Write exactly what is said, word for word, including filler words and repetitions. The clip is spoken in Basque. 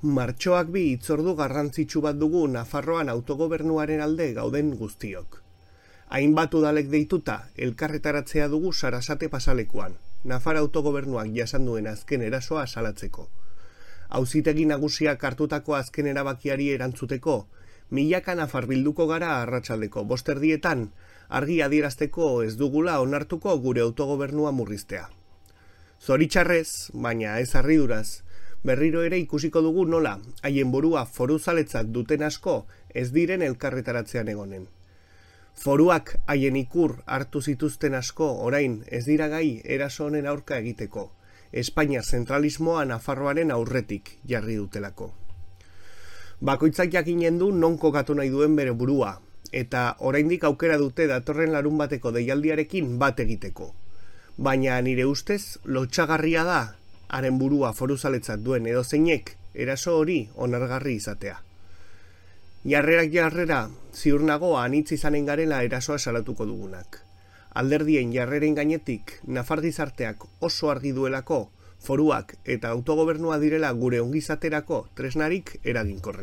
Martxoak bi hitzordu garrantzitsu bat dugu Nafarroan autogobernuaren alde gauden guztiok. Hainbat udalek deituta, elkarretaratzea dugu Sarasate pasalekuan, Nafar autogobernuak jasan duen azken erasoa salatzeko. Auzitegi nagusiak hartutako azken erabakiari erantzuteko, milaka nafar bilduko gara arratsaldeko bosterdietan, argi adierazteko ez dugula onartuko gure autogobernua murriztea. Zoritxarrez, baina ez harriduraz, berriro ere ikusiko dugu nola, haien burua foruzaletzat duten asko ez diren elkarretaratzean egonen. Foruak haien ikur hartu zituzten asko orain ez dira gai eraso honen aurka egiteko, Espainia zentralismoa Nafarroaren aurretik jarri dutelako. Bakoitzak jakinen du non kokatu nahi duen bere burua, eta oraindik aukera dute datorren larun bateko deialdiarekin bat egiteko. Baina nire ustez lotsagarria da haren burua foruzaletzat duen edozeinek eraso hori onargarri izatea. Jarrerak jarrera, ziur nago anitz izanen garela erasoa salatuko dugunak. Alderdien jarreren gainetik, Nafar gizarteak oso argi duelako, foruak eta autogobernua direla gure ongizaterako tresnarik eraginkorrenak.